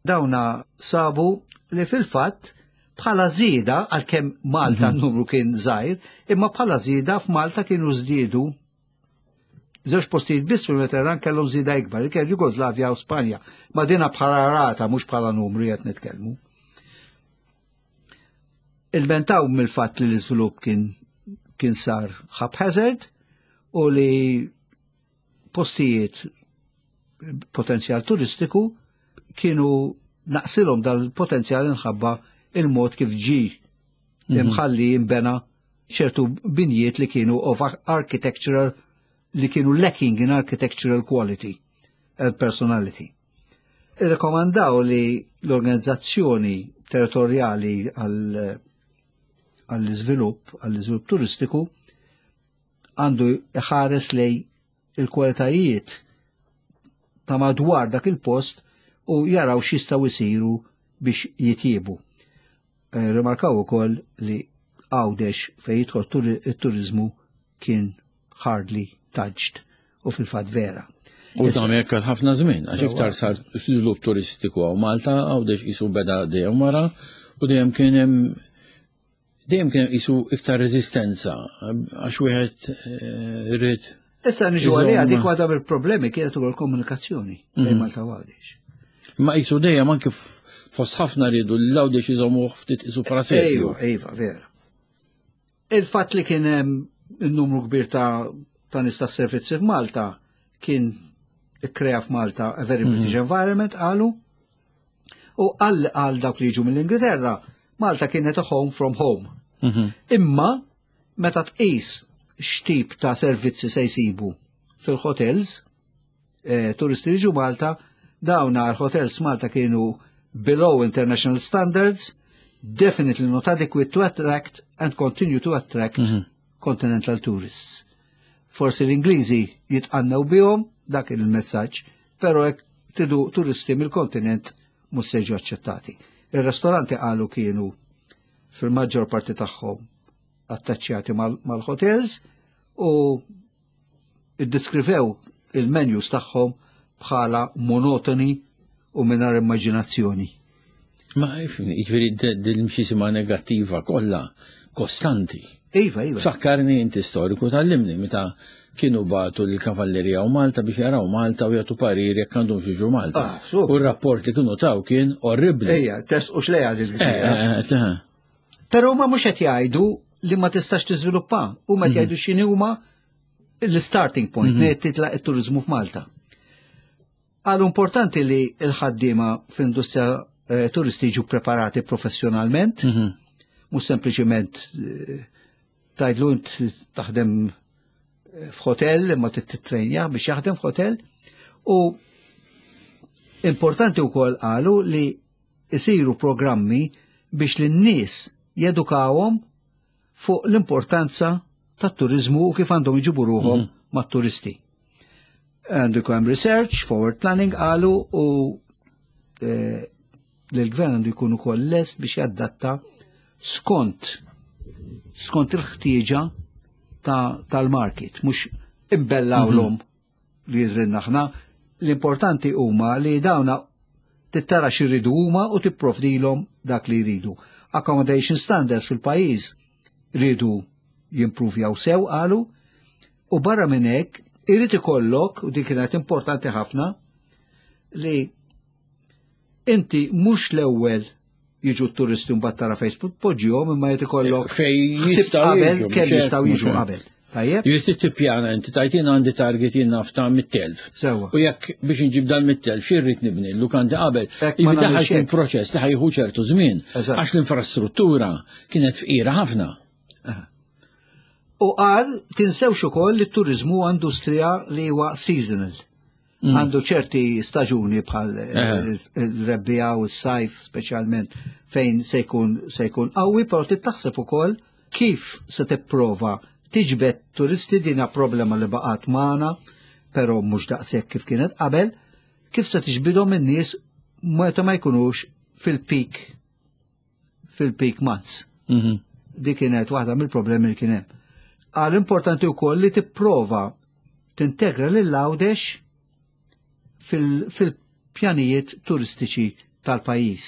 dawna sabu li fil-fatt bħala żieda għalkemm Malta n-numru kien żgħir, imma bħala żieda f'Malta kienu żdiedu żewġ postijiet biss fil-Mediterran kellhom żieda ikbar, li kien Jugoslavja u Spanja. Ma dina bħala rata mhux bħala numru qed nitkellmu. Ilmentaw mill-fatt li l-iżvilupp kien sar haphazard u li postijiet potenzjal turistiku kienu naqsilhom dal-potenzjal inħabba il-mod kif ġi imħalli jimbena ċertu binjiet li kienu of architectural li kienu lacking in architectural quality and personality. Irrekomandaw li l-organizzazzjoni territorjali għal għall-iżvilupp, għall-iżvilupp turistiku, għandu iħares lej il-kwalitajiet ta' madwar dak il-post u jaraw x'jistgħu jsiru biex jitjiebu. Eh, rimarkaw ukoll li Għawdex fejn jidħol it-turiżmu kien hardly touched u fil-fatt vera. U ta' hekk għal ħafna żmien, għax iktar sar żvilupp turistiku għaw Malta, Għawdex qisu beda dejjem wara u dejjem kien hemm dejjem kien qisu iktar reżistenza għax wieħed eh, irid. Issa niġu għalija dik waħda mill-problemi kienet ukoll komunikazzjoni bejn mhm. Malta u Għawdex. Ma qisu dejjem anke fost ħafna rridu l-Għawdex iżommu ftit qisu prasepju. Ejwa, ejwa, vera. Il-fatt li kien hemm il-numru kbir ta' ta' nies tas-servizzi f'Malta kien ikkrea f'Malta a very British mhm. environment qalu u għal għal dawk li jiġu mill-Ingilterra Malta kienet a home from home. Mhm. Imma meta tqis x'tip ta' servizzi se jsibu fil-hotels, eh, turisti li ġu Malta, dawn għal hotels Malta kienu below international standards, definitely not adequate to attract and continue to attract mm -hmm. continental tourists. Forsi l-Ingliżi jitqannew bihom dak il-messaġġ, però hekk tridu turisti mill-kontinent mhux se jiġu aċċettati. Ir-restoranti qalu kienu fil-maġġor parti tagħhom attaċċjati mal-hotels u iddeskrivew il-menus tagħhom bħala monotoni u mingħajr immaġinazzjoni. Ma jiġifieri dil-mxisima negattiva kollha kostanti. Iva, iva. Fakkarni inti storiku tal-limni meta kienu batu l-kavallerija u Malta biex jaraw Malta u jagħtu parir jekk għandhom jiġu Malta. Ah, u r-rapport li kienu taw kien orribli. Ejja, test u xlejja dil-gżira. Eh, eh, eh, Però ma mhux qed jgħidu li ma tistax tiżviluppa, huma qed mhm. jgħidu x'inhi huma l-starting point mm -hmm. titlaq it-turizmu f'Malta. Għal importanti li l-ħaddiema fl-industrija eh, turisti jiġu preparati professjonalment, mm -hmm. mhux sempliċiment eh, tajdlu int taħdem eh, f'hotel imma titrejnja biex jaħdem f'hotel u importanti wkoll qalu li isiru programmi biex lin-nies jedukawhom fuq l-importanza tat-turiżmu u kif għandhom iġibu ruħhom mm -hmm. mat-turisti. Għandu jkun hemm research, forward planning qalu u eh, l-gvern għandu jkun ukoll lest biex jadatta skont skont il-ħtieġa tal-market, mhux imbellawlhom mm -hmm. li jidrinna aħna. L-importanti huma li dawna tittara x'iridu huma u tipprovdilhom dak li jridu. Accommodation standards fil-pajjiż ridu jimpruvjaw sew qalu u barra minn hekk irid ikollok u din kienet importanti ħafna li inti mhux l-ewwel jiġu t-turisti mbagħad tara Facebook poġġihom imma jrid ikollok fej jistgħu qabel kemm jistgħu jiġu qabel. Tajjeb? Jrid tippjana inti tajt jien għandi target jien naf ta' mit-telf. Sewwa. U jekk biex inġib dan mit-telf xi rrid nibni l-lukandi qabel. Jiġifieri ħajkun proċess li ħajħu ċertu żmien. Għax l-infrastruttura kienet fqira ħafna. U qal tinsewx ukoll li t-turiżmu huwa industrija li huwa seasonal. Mm. Għandu ċerti staġuni bħal eh. il-rebbija u s-sajf speċjalment fejn se jkun se jkun qawwi, però titaħseb ukoll kif se tipprova tiġbed turisti dina problema li baqgħet magħna, però mhux daqshekk kif kienet qabel, kif se tiġbidhom in-nies meta ma jkunux fil-peak fil-peak months. Mm -hmm. Dik kienet waħda mill-problemi li kien hemm. Għal importanti wkoll li tipprova tintegra lil Għawdex fil-pjanijiet turistiċi tal-pajjiż.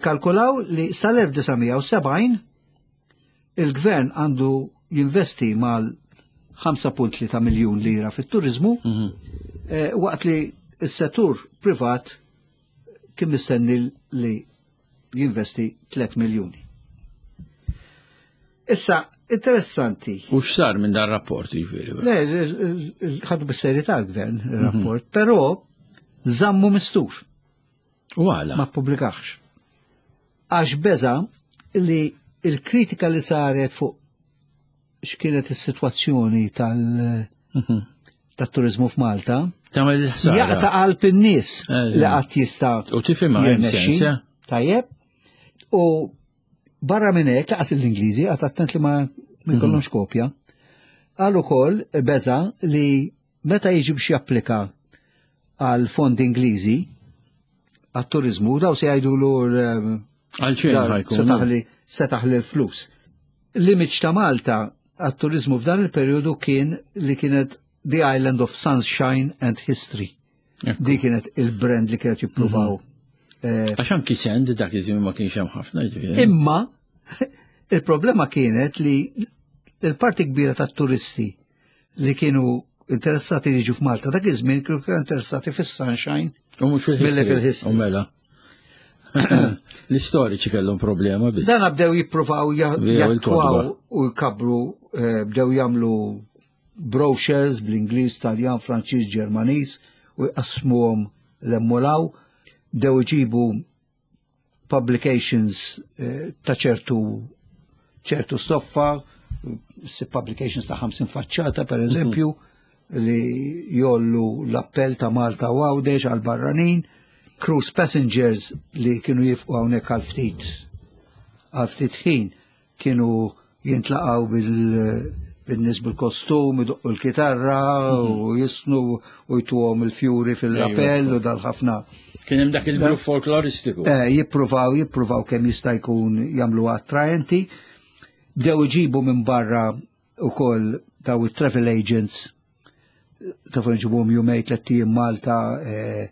Kalkulaw li sal-1970 il-gvern għandu jinvesti mal 5.3 miljun lira fit-turizmu, mm -hmm. waqt li s-settur privat kien mistenni li jinvesti 3 miljuni. Issa, interessanti. U x'sar minn dan rapport jiġifieri? Le, ħadu bis-serjetà l-gvern il-rapport, mhm. però żammu mistur. U għala? Ma pubblikax. Għax beża li il-kritika li saret fuq x'kienet is-sitwazzjoni tal- mhm. tat-turizmu f'Malta. Tagħmel il-ħsara. Jaqta' qalb in-nies eh, li qatt jista' U tifhimha eh? Tajjeb. U Barra minn hekk laqas l-Ingliżi għad attent li ma jkollhomx kopja. Qal ukoll beża li meta jiġi biex japplika għal fondi Ingliżi għat-turizmu, daw se jgħidulu Għal xejn ħajkun. Se taħli l-flus. L-image ta' Malta għat-turizmu f'dan il-perjodu kien li kienet The Island of Sunshine and History. Di kienet il-brand li kienet jippruvaw. Għax anki send dak iż-żmien ma kienx hemm ħafna ġifieri. Imma il-problema kienet li il-parti kbira tat-turisti li kienu interessati li jiġu f'Malta dak iż-żmien kienu interessati fis-sunshine U mhux milli fil-history. fil-history. U mela. L-istoriċi kellhom problema biss. Dan bdew jippruvaw Bdew jattwaw il-kotba. u jkabru, bdew jagħmlu brochures bl-Ingliż, Taljan, Franċiż, Ġermaniż u jqassmuhom l-emmolaw, bdew iġibu publications ta' ċertu stoffa, si publications ta' 50 faċċata per eżempju, li jollu l-appell ta' Malta u Għawdex għal barranin, cruise passengers li kienu jifqu hawnhekk għal ftit ħin kienu jintlaqgħu bil-nies bil-kostum, idoqqu l-kitarra u jisnu u jtuhom il-fjuri fil-appell u dal-ħafna. Kien hemm dak il-grupp folkloristiku. Jippruvaw kemm jista' jkun jagħmlu attraenti. Bdew iġibu minn barra ukoll daw it-travel agents ta' fuq ġibuhom jumej tliet ijiem Malta.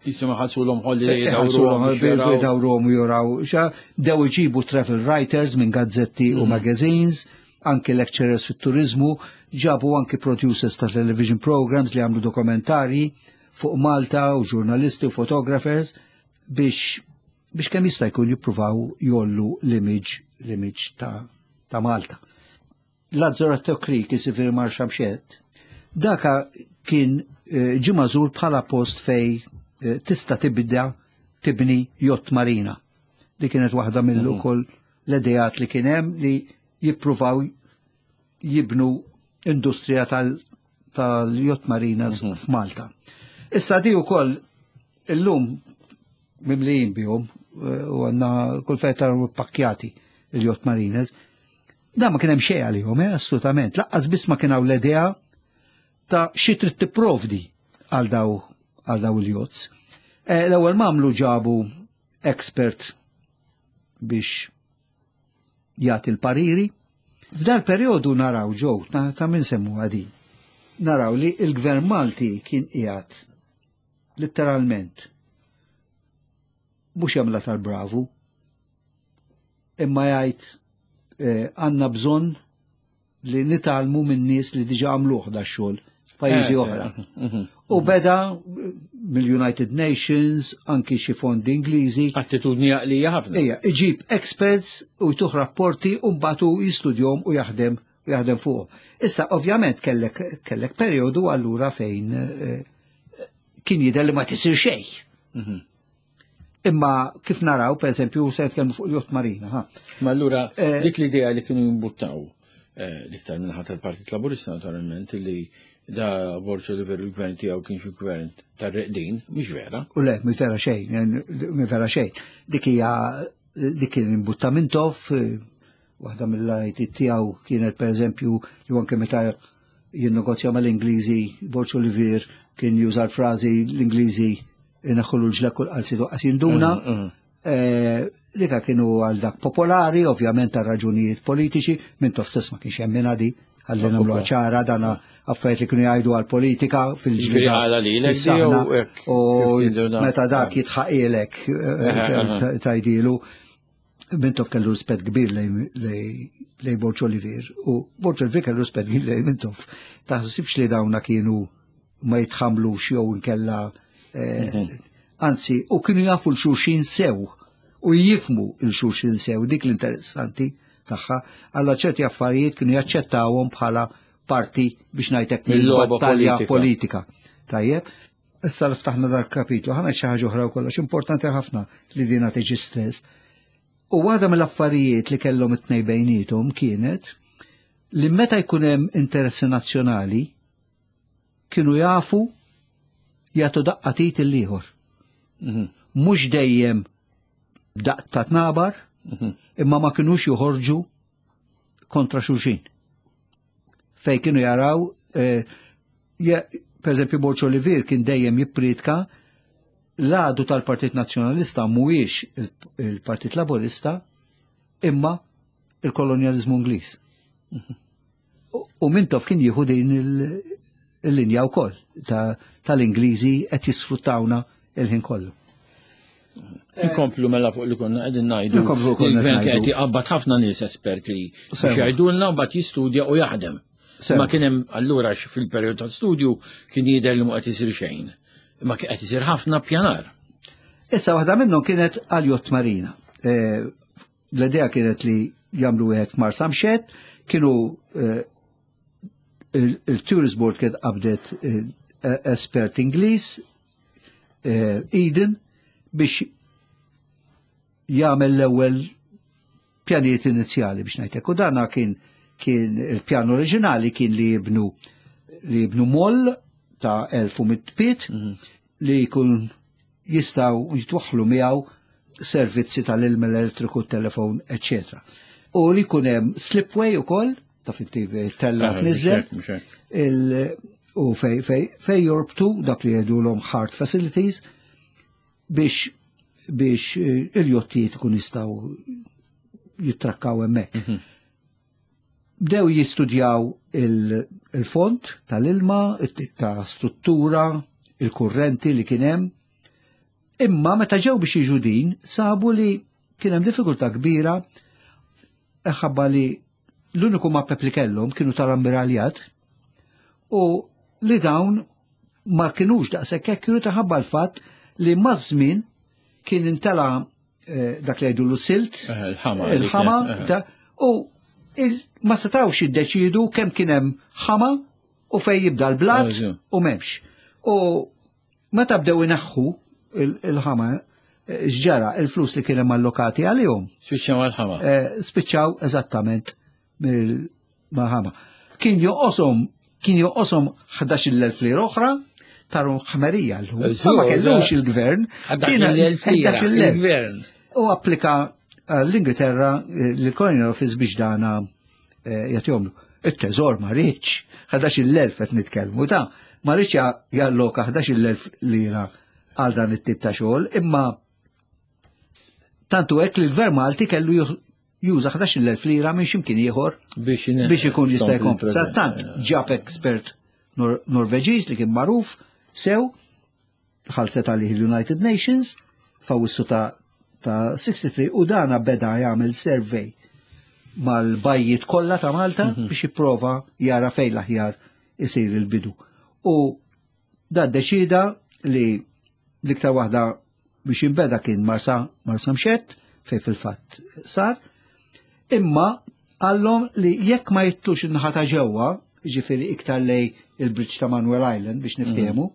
Jismu ħalsulhom holiday, Ħalsulhom dawruhom biex jaraw. dawruhom u juraw. Xa, bdew iġibu travel writers minn gazzetti u magazines, anki lecturers fit-turizmu, ġabu anki producers ta' television programs li għamlu dokumentari fuq Malta u ġurnalisti u photographers biex kemm jista' jkun jippruvaw jollu l-image ta' Malta. Lazzaretto Creek, isifir Marsamxett, daka kien ġie magħżul bħala post fej tista' tibda tibni yacht marina. Di kienet waħda mill ukoll l-ideat li kien hemm li jippruvaw jibnu industrija tal-yacht marinas f'Malta. Issa di wkoll illum mimlijin bihom u għandna kull fejn taraw pakkjati il-yacht marinas. Da ma kien hemm xejn għalihom, assolutament. Laqqas biss ma kien hawn l-idea ta' xi trid tipprovdi għal daw il-yachts. L-ewwel m'għamlu ġabu expert biex jagħti l-pariri. F'dal perjodu naraw ġew ta' min semmu għadi. Naraw li il-Gvern Malti kien qiegħed letteralment mhux jagħmilha tal-bravu, imma jgħid għandna bżonn li nitgħallmu minn nies li diġà għamluh da xogħol f'pajjiżi oħra. U beda mill-United Nations, anki xi fondi Ingliżi. Attitudni għaqlija ħafna. Ejja, iġib experts u jtuh rapporti u mbagħad hu jistudjhom u jaħdem u jaħdem fuqhom. Issa ovvjament kellek perjodu allura fejn kien jidher li ma tisir xejn. Imma kif naraw, per eżempju, se nitkellmu fuq il-yacht marina, ha. Ma allura, dik l-idea li kienu jimbuttaw l-iktar minnaħa tal-Partit Laburista, naturalment, li da Borg Olivier il-gvern tiegħu kien xi gvern tar-reqdin, mhux vera. U le, mhux vera xejn, mhux vera xejn. Dik hija, dik kien imbutta Mintoff, waħda mill-lajti tiegħu kienet per eżempju li anke meta jinnegozja mal-Ingliżi, Borg Olivier kien juża l-frażi l-Ingliżi inaħħulu l-ġlek kull qalzi toqqas jinduna. Dika kienu għal dak popolari, ovvjament għal raġunijiet politiċi, Mintoff stess ma kienx hemm di, għalli nagħmlu ċara, dana affarijiet li kienu jgħidu għal politika fil-ġlieda Ġifieri għala lilek fis-saħna jew hekk u kif jinduna? meta dak jitħaqilek tajdilu. Mintoff kellu rispett kbir lej Borg Olivier u Borg Olivier kellu rispett kbir lej Mintoff. Taħsibx li dawna kienu ma jitħamlux jew inkella anzi, u kienu jafu l-xulxin sew u jifmu l-xulxin sew, dik l-interessanti tagħha, għalla ċerti affarijiet kienu jaċċettawhom bħala parti biex ngħidlek Mill-logħba mill-battalja politika. politika. Tajjeb, issa li ftaħna dal-kapitlu, ħana xi ħaġa oħra wkoll, għax importanti ħafna li dina tiġi stess. U waħda mill-affarijiet li kellhom it-tnejn bejniethom kienet li meta jkun hemm interessi nazzjonali kienu jafu jagħtu daqqa tit il-ieħor. Mhux dejjem daqq ta' tnabar, Imma ma kinux joħorġu kontra xulxin. Fej kienu jaraw, eh, per eżempju, Borg Olivier kien dejjem jippritka l-għadu tal-Partit Nazzjonalista mhuwiex il-Partit Laburista imma il-kolonjalizmu Ingliż. U Mintoff kien jieħu din il-linja wkoll tal-Ingliżi qed jisfruttawna il-ħin kollu. Inkomplu mela fuq li konna qegħdin ngħidu. Il-gvern qed jqabbad ħafna nies esperti biex jgħidulna u mbagħad jistudja u jaħdem. Ma kien hemm allura fil-perjodu ta' studju kien jidher li mhu qed isir xejn. Imma kien qed isir ħafna pjanar. Issa waħda minnhom kienet għal Jott Marina. Eh, l-idea kienet li jagħmlu wieħed f'Marsamxett, kienu eh, il-Tourist Board kienet qabdet eh, espert Ingliż, eh, Eden, biex jagħmel l-ewwel pjanijiet inizjali biex ngħidlek. U dana kien kien il-pjan oriġinali kien li jibnu li jibnu moll ta' 1100 pied li jkun jistgħu jitwaħħlu miegħu servizzi tal-ilma, l-elettriku, telefon, eccetera. U li jkun hemm slipway ukoll, ta' finti tella Ah, tniżel, mhux hekk, il- u fej, fej, fej jorbtu dak li jgħidulhom hard facilities biex biex eh, il-jottijiet ikun jistgħu jitrakkaw hemmhekk. Bdew jistudjaw il-font tal-ilma, it-tip ta' struttura, il-kurrenti li kien hemm. Imma meta ġew biex jiġu din, sabu li kien hemm diffikultà kbira ħabba li l-uniku mappep li kellhom kienu tal-ammiraljat u li dawn ma kinux daqshekk hekk kienu taħabba l-fatt li maż-żmien kien intela eh, dak li jgħidu silt Eh, il-ħama li il-ħama kien, eh. ta' u il- ma setawx jiddeċidu kemm kien hemm ħama u fej jibda l-blat Eżatt. u m'hemmx. U meta bdew ineħħu il- il-ħama eh, x'ġara il-flus li kien hemm allokati għalihom Spiċċaw għal-ħama. eh, spiċċaw eżattament mill-ħama. Kien joqosom kien joqosom 11,000 lira oħra taru ħmerija l-lum. Eżur, Ma kellux il-gvern. 11,000 lira, 11,000. il-gvern. U applika eh, l-Ingilterra eh, l-Colonial Office biex dana eh, jagħtihomlu. Il-teżor ma rridx, 11,000 qed nitkellmu ta' ma rridx ja- jalloka 11,000 lira għal dan it-tip ta' xogħol, imma tantu hekk li l-Gvern Malti kellu juh- juża 11,000 lira minn x'imkien ieħor Biex biex ikun jista' jkompli. il-proġett. Sattant ġab expert Nor Norveġiż li kien magħruf sew ħalset għalih il-United Nations f'Awwissu ta' ta' 63 u dana beda jagħmel survey mal-bajjiet kollha ta' Malta biex jipprova jara fejn l-aħjar isir il-bidu. U da deċida li l-iktar waħda biex jinbeda kien Marsa Marsa Mxett fej fil-fatt sar, imma għallhom li jekk ma jittux in-naħa ta' ġewwa, ġifieri iktar lej il-bridge ta' Manuel Island biex niftehmu,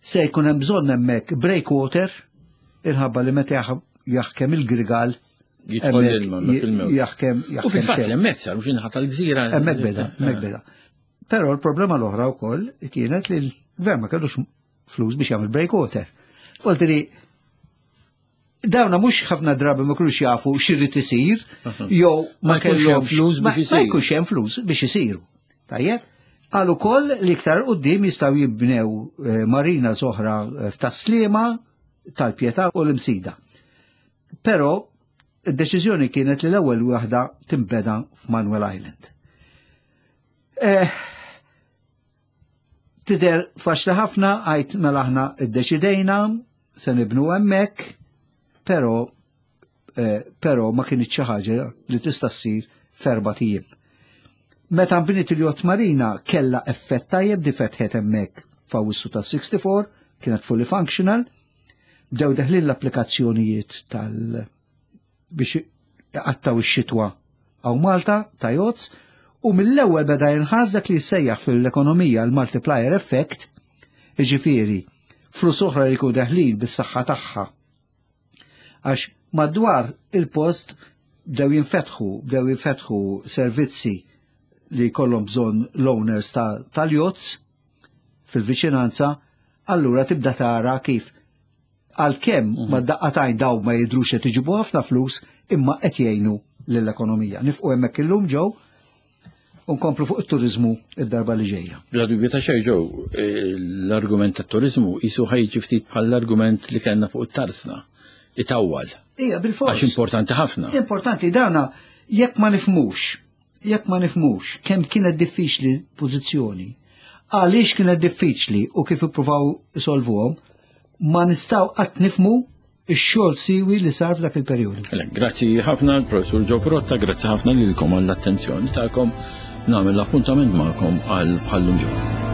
se jkun hemm bżonn hemmhekk breakwater il-ħabba li meta jaħkem il-grigal Jidħol hemmhekk l-ilma, hemmhekk il-mewġ. jaħkem U jaħkem fil-fatt sew. hemmhekk saru xi naħa tal-gżira. Hemmhekk beda, hemmhekk beda. Però l-problema l-oħra wkoll kienet li l-gvern ma kellux flus biex jagħmel breakwater. Voltiri dawna mhux ħafna drabi ma kinux jafu x'irrid isir, jew ma Ma jkunx hemm kellhomx flus ma- biex Ma isiru. jkunx hemm flus biex isiru. Tajjeb? Għal ukoll li iktar qudiem jistgħu jibnew eh, marina oħra eh, f'Tas-Sliema, tal-Pietà u l-Imsida. Però id-deċiżjoni kienet li l-ewwel waħda timbeda f'Manuel Island. Eh, Tider faċli ħafna għajt mela aħna iddeċidejna se nibnu hemmhekk, però eh, però ma kienx xi ħaġa li tista' ssir f'erba' ijiem. Meta nbniet il-Jott Marina kella effett tajjeb di fetħet hemmhekk f'Awwissu ta' 64, kienet fully functional, bdew deħlin l-applikazzjonijiet tal biex għattaw ix-xitwa għaw Malta ta' jotz u mill-ewwel beda jinħass dak li jissejjaħ fil-ekonomija l-multiplier effect, jiġifieri flus oħra li jkunu deħlin bis-saħħa tagħha. Għax madwar il-post bdew jinfetħu, bdew jinfetħu servizzi li jkollhom bżonn l-owners tal-jotz fil-viċinanza, allura tibda tara kif Għalkemm mhm. ma daqqatajn daw ma jidrux qed iġibu ħafna flus imma qed jgħinu lill-ekonomija. Nifqu hemmhekk illum ġew u nkomplu fuq it-turizmu id-darba li ġejja. Bla dubju ta' xejn ġew, eh, l-argument tat-turizmu jisu ħajġi ftit bħall-argument li kellna fuq it-tarsna. Itawwal. Ija, bil-fors. Għax importanti ħafna. Importanti, dana jekk ma nifmux, jekk ma nifmux kemm kienet diffiċli pożizzjoni, għaliex kienet diffiċli u kif ippruvaw isolvuhom, ma nistgħu qatt nifmu ix-xogħol siwi li sar f'dak il-perjodu. Grazzi ħafna l-Professur Ġo Protta, grazzi ħafna lilkom għall-attenzjoni tagħkom. Nagħmel l-appuntament magħkom għal bħallum ġimgħa.